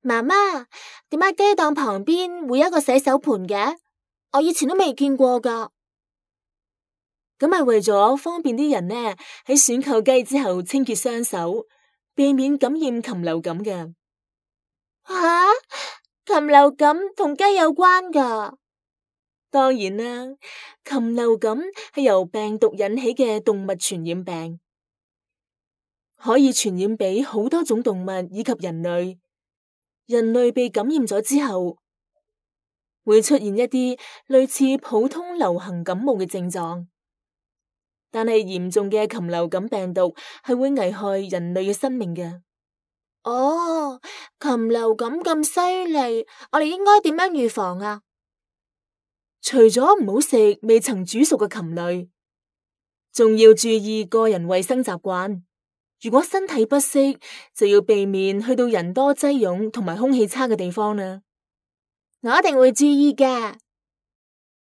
媽媽，點解雞檔旁邊會有一個洗手盆嘅？我以前都未見過噶。咁係為咗方便啲人呢喺選購雞之後清潔雙手，避免感染禽流感嘅。吓，禽流感同雞有關噶？當然啦，禽流感係由病毒引起嘅動物傳染病，可以傳染俾好多種動物以及人類。人類被感染咗之後，會出現一啲類似普通流行感冒嘅症狀，但係嚴重嘅禽流感病毒係會危害人類嘅生命嘅。哦，禽流感咁犀利，我哋應該點樣預防啊？除咗唔好食未曾煮熟嘅禽類，仲要注意個人衛生習慣。如果身體不適，就要避免去到人多擠擁同埋空氣差嘅地方啦。我一定會注意嘅。